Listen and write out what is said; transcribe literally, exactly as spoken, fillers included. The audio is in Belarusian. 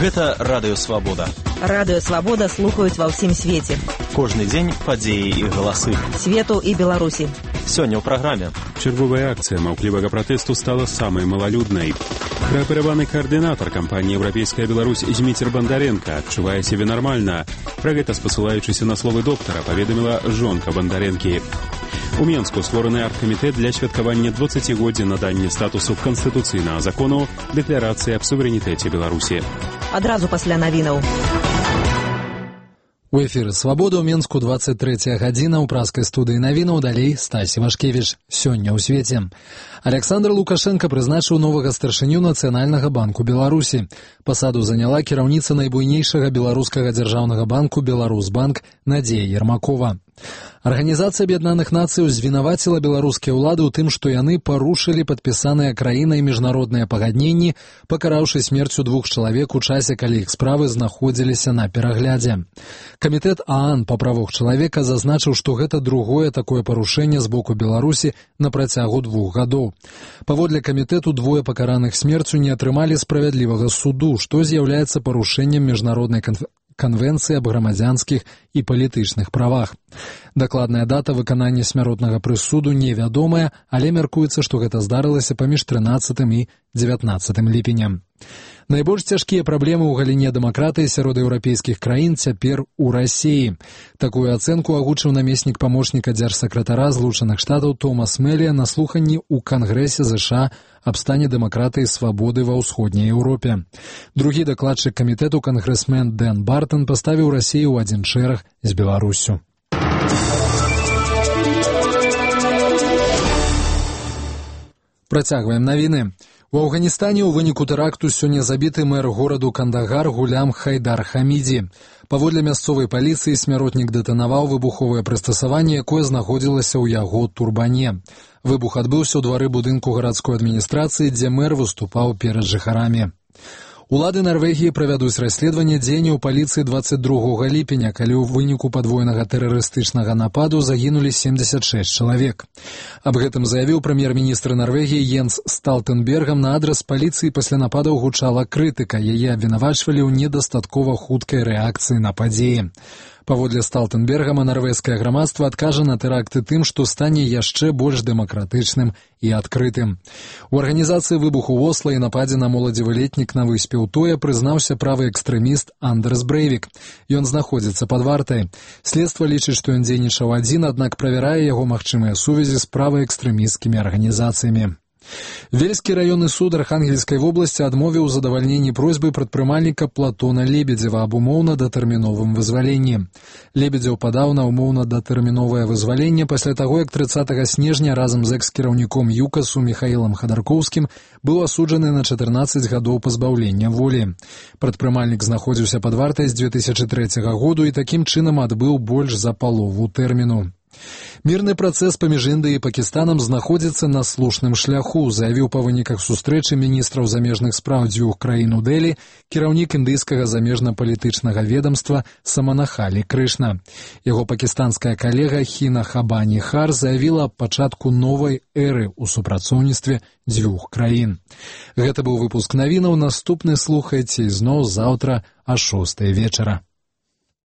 Гэта Радыё Свабода. Радыё Свабода слухаюць ва ўсім свеце. Кожны дзень падзеі і галасы. Свету і Беларусі. Сёння ў праграме. Чарговая акцыя маўклівага пратэсту стала самай малалюднай. Праапераваны каардынатар кампаніі «Еўрапейская Беларусь» Зміцер Бандаренка адчувае сябе нармальна. Пра гэта, спасылаючыся на словы доктара, паведаміла жонка Бандаренкі. У Менску створаны аргкамітэт для святкавання дваццацігоддзя надання статусу канстытуцыйнага закону дэкларацыі аб суверэнітэце Беларусі. Адразу пасля навінаў. У эфіры «Свабода» ў Менску двадцать третья гадзіна ў праскай студыі навінаў, далей Стасі Вашкевіч. Сёння ў свеце. Александр Лукашенко прызначыў новага старшыню Нацыянальнага банку Беларусі. Пасаду заняла кіраўніца найбуйнейшага беларускага дзяржаўнага банку «Беларусбанк» Надзея Ермакова. Арганізацыя Аб'яднаных Нацый звінаваціла беларускія ўлады ў тым, што яны парушылі падпісаныя краінай міжнародныя пагадненні, пакараўшы смерцю двух чалавек у часе, калі іх справы знаходзіліся на пераглядзе. Камітэт ААН па правах чалавека зазначыў, што гэта другое такое парушэнне з боку Беларусі на працягу двух гадоў. Паводле камітэту, двое пакараных смерцю не атрымалі справядлівага суду, што з'яўляецца парушэннем міжнароднай канферэнцыі Канвенцыі аб грамадзянскіх і палітычных правах. Дакладная дата выканання смяротнага прысуду невядомая, але мяркуецца, што гэта здарылася паміж трынаццатым і дзевятнаццатым ліпенем. Найбольш цяжкія праблемы ў галіне дэмакратыі сярод еўрапейскіх краін цяпер у Расіі. Такую ацэнку агучыў намеснік памочніка дзяржсакратара Злучаных Штатаў Томас Мэлія на слуханні ў Кангрэсе ЗША аб стане дэмакратыі і свабоды ва ўсходняй Еўропе. Другі дакладчык камітэту, кангрэсмен Дэн Бартон, паставіў Расію ў адзін шэраг з Беларуссю. Працягваем навіны. У Афганістане ў выніку тэракту сёння забіты мэр гораду Кандагар Гулям Хайдар Хамідзі. Паводле мясцовай паліцыі, смяротнік дэтанаваў выбуховае прыстасаванне, якое знаходзілася ў яго турбане. Выбух адбыўся ў двары будынку гарадской адміністрацыі, дзе мэр выступаў перад жыхарамі. Улады Нарвегіі правядуць расследаванне дзеянняў паліцыі дваццаць другога ліпеня, калі ў выніку падвойнага тэрарыстычнага нападу загінулі семьдесят шесть чалавек. Аб гэтым заявіў прэм'ер-міністр Нарвегіі Йенс Сталтэнбергам. На адрас паліцыі пасля нападаў гучала крытыка. Яе абвінавачвалі ў недастаткова хуткай рэакцыі на падзеі. Паводле Сталтэнбергама, нарвежскае грамадства адкажа на тэракты тым, што стане яшчэ больш дэмакратычным і адкрытым. У арганізацыі выбуху ў Осла і нападзе на моладзевы летнік на выспе Утоя прызнаўся правы экстрэміст Андерс Брэйвік. Ён знаходзіцца пад вартай. Следства лічыць, што ён дзейнічаў адзін, аднак правярае яго магчымыя сувязі з праваэкстрэмісцкімі арганізацыямі. Вельскі раённы суд Архангельскай вобласці адмовіў у задавальненні просьбы прадпрымальніка Платона Лебедзева аб умоўна-датэрміновым вызваленні. Лебедзеў падаў на умоўна-датэрміновае вызваленне пасля таго, як трыццатага снежня разам з экс-кіраўніком ЮКАСу Міхаілам Хадаркоўскім быў асуджаны на чатырнаццаць гадоў пазбаўлення волі. Прадпрымальнік знаходзіўся пад вартай з дзве тысячы трэцяга году і такім чынам адбыў больш за палову тэрміну. Мірны працэс паміж Індыяй і Пакістанам знаходзіцца на слушным шляху, заявіў па выніках сустрэчы міністраў замежных спраў дзвюх краін у Дэлі кіраўнік індыйскага замежна-палітычнага ведамства Саманахалі Крышна. Яго пакістанская калега Хіна Хабані Хар заявіла аб пачатку новай эры ў супрацоўніцтве дзвюх краін. Гэта быў выпуск навінаў. Наступны слухайце ізноў заўтра а шостай вечара.